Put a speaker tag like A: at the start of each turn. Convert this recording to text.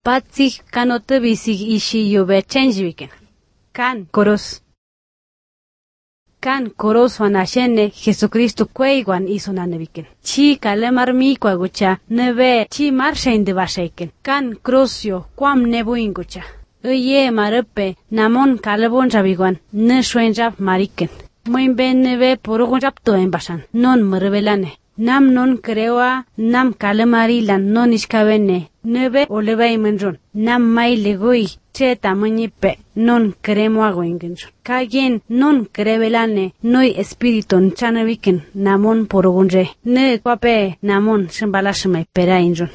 A: Patsik kanote bisig ishi yobe changewiken. Kan koros. Kan koros wanashene Jesucristo kweigwan isonaneviken. Chi kalemar mi kwagucha nebe chi marshain de bashaiken. Kan krosyo kwam nebuingucha. Oye marepe namon kalebon rabiguan ne shuen rab mariken. Moin ben nebe porogon rapto en basan. Non merebelane. Nam non creoa nam kalemarilan non iskabene. Nebe olebay menron. Nam mai legui. Che tamañipe non cremo agoingenson. Kagen non crevelane noi espiriton chanaviken namon porogonre. Ne kwape namon shembalashmai perainjon.